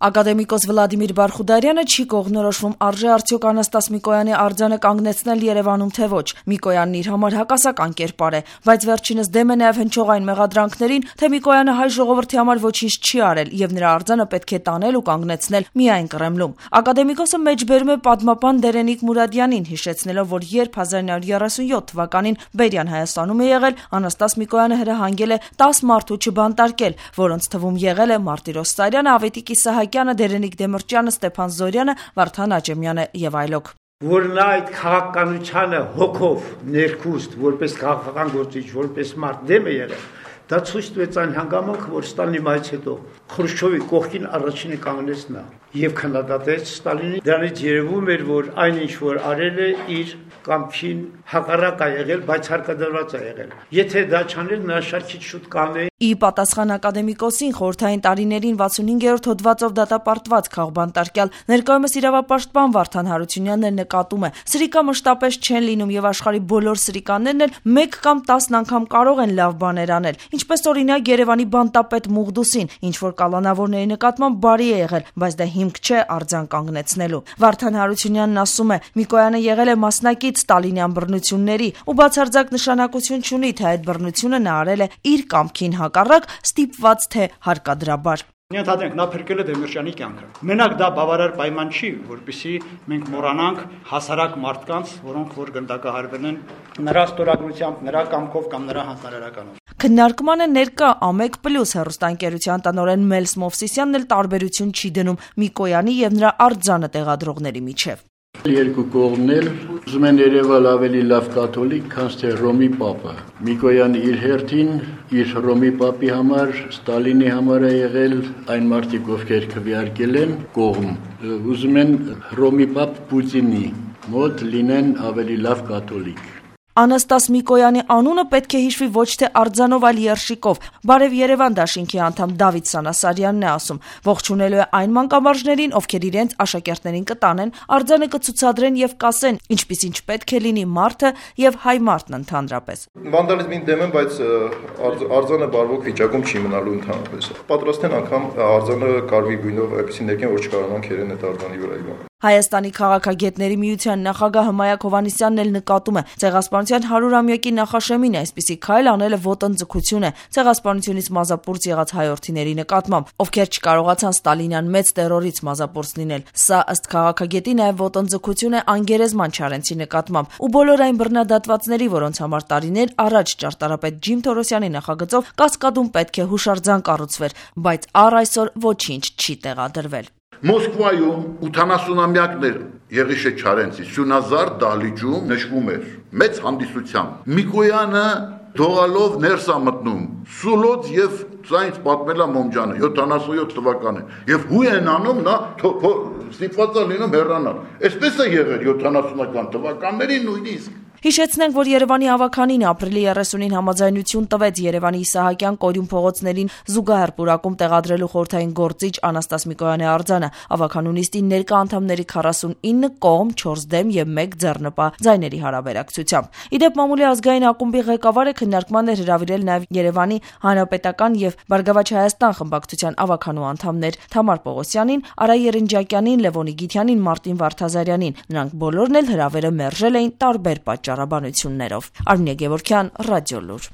Ակադեմիկոս Վլադիմիր Բարխուդարյանը չի կողմնորոշվում արժե արդյոք Անաստաս Միկոյանի արձանը կանգնեցնել Երևանում թե ոչ։ Միկոյանն իր համար հակասական կերպար է, բայց վերջինս դեմ է նաև հնչող այն մեղադրանքներին, թե Միկոյանը հայ ժողովրդի համար ոչինչ չի արել եւ նրա արձանը պետք է տանել ու կանգնեցնել միայն Կրեմլում։ Ակադեմիկոսը մեջբերում է պատմապան Դերենիկ Մուրադյանին, հիշեցնելով, որ երբ 1937 թվականին Բերյան Հայաստանում է եղել, Անաստաս Միկոյանը հրահանգել է 10 մարդու չբանտարկել, որոնց թվում եղել է Մարտիրոս Սարյանը, Ավետիք Իսահակյանը, Դերենիկ Դեմիրճյանը, Ստեփան Զորյանը, Վարդան Աճեմյանը եւ այլոք։ Որ նա այդ քաղաքականությանը հոգով ներքուստ, որպես քաղաքական գործիչ, որպես մարդ դեմ է եղել, դա ցույց տվեց այն հանգամանքը, որ Ստալինի մայից հետո Խրուշչովի կողքին առաջինը կանգնեց նա եւ քննադատեց Ստալինին։ Դրանից երևում էր, որ այնինչ որ արել է իր կամքին հակառակ է եղել, բայց հարկադրված է եղել։ Եթե դա չաներ, նա շարքից շուտ կանեին։ Ի պատասխան ակադեմիկոսին, խորհրդային տարիներին 65-րդ հոդվածով դատապարտված քաղբանտարկյալ ներկայումս իրավապաշտպան Վարդան Հարությունյանն էլ նկատում է. սրիկա մշտապես չեն լինում եւ աշխարհի բոլոր սրիկաներն էլ 1 կամ 10 անգամ կարող են լավ բաներ անել, ինչպես օրինակ Երևանի բանտապետ Մուղդուսին, ինչ որ կալանավորների նկատմամբ բարի է եղել, բայց դա հիմք չէ արձան կանգնեցնելու։ Վարդան Հարությունյանն ասում է. Միկոյանը եղել է մասնակից ստալինյան բռնությունների ու բացարձակ նշանակություն չունի, թե այդ բռնությունը նա արել է իր կամքին հակառակ, ստիպված թե հարկադրաբար։ Ենթադրենք, նա փրկել է Դեմիրճյանի կյանքը։ Մենակ դա բավարար պայման չի, որպեսզի մենք մոռանանք հասարակ մարդկանց, որոնք որ գնդակահարվել են նրա ստորագրությամբ, նրա կամքով կամ նրա հանձնարարականով։ Քննարկմանը ներկա Ամեկ+ հեռուստաընկերության տնօրեն Մելս Մովսիսյանն էլ տարբերություն չի դնում Միկոյանի եւ նրա արձանը տեղադրողների միջև։ Երկու կողմն էլ ուզում են երևալ ավելի լավ կաթոլիկ, քան թե Ռոմի Պապը։ Միկոյանը իր հերթին իր Ռոմի Պապի համար, Ստալինի համար է եղել այն մարդիկ, ովքեր քվեարկել են կողմ։ Ուզում են Ռոմի Պապ Պուտինի մոտ լինեն ավելի լավ կաթոլիկ։ Անաստաս Միկոյանի անունը պետք է հիշվի ոչ թե արձանով, այլ երշիկով։ Բարև Երևան դաշինքի անդամ Դավիթ Սանասարյանն է ասում. ողջունելու է այն մանկամարզներին, ովքեր իրենց աշակերտներին կտանեն, արձանը կցուցադրեն եւ կասեն, ինչպիսին պետք է լինի մարդը եւ հայ մարդն ընդհանրապես։ Վանդալիզմին դեմ եմ, բայց արձանը բարվոք վիճակում չի մնալու ընդհանրապես։ Պատրաստ են անգամ արձանը կարմիր գույնով այնպեսի ներկեն, որ չկարողանան քերեն այդ արձանի վրա։ Հայաստանի քաղաքագետների միության նախագահ Հմայակ Հովհաննիսյանն էլ նկատում է. ցեղասպանության 100-ամյակի նախաշեմին այսպիսի քայլ անելը ոտնձգություն է ցեղասպանությունից մազապուրծ եղած հայորդիների նկատմամբ, ովքեր չկարողացան Ստալինյան մեծ տերորից մազապուրծ լինել։ Սա ըստ քաղաքագետի նաև ոտնձգություն է անգերեզման Չարենցի նկատմամբ ու բոլոր այն բռնադատվածների, որոնց համար տարիներ առաջ ճարտարապետ Ջիմ Թորոսյանի նախագծով Կասկադում պետք է հուշարձան կառուցվեր, բայց առ այսօր ոչինչ չի տեղադրվել։ Մոսկվայում 80-ամյակներ Եղիշե Չարենցի Սյունազար դահլիճում նշվում էր մեծ հանդիսությամբ։ Միկոյանը դողալով ներս է մտնում Սուլոց եւ ցայից պատմելա Մոմջանը 77 թվականին եւ հույ են անում նա ստիպված է լինում հեռանալ։ Այսպես է եղել 70-ական թվականներին նույնիսկ։ Հիշեցնենք, որ Երևանի ավականին ապրիլի 30-ին համաձայնություն տվեց Երևանի Իսահակյան Կորյուն փողոցներին զուգահեռ պուրակում տեղադրելու խորհրդային գործիչ Անաստաս Միկոյանի արձանը։ Ավականու նիստին ներկա անդամների 49 կողմ, 4 դեմ եւ 1 ձեռնպա ձայների հարաբերակցությամբ։ Իդեպ մամուլի ազգային ակումբի ղեկավարը քննարկման էր հրավիրել նաեւ Երևանի Հանրապետական եւ Բարգավաճ Հայաստան խմբակցության ավականու անդամներ Թամար Պողոսյանին, Արա Երնջակյանին, Լևոնի Գիթյանին, Մարտին Վարդազարյանին։ Նրանք բոլորն էլ հրավերը մերժել էին տարբեր պատճառաբանություններով։ Արմինե Գևորգյան, Ռադիոլուր։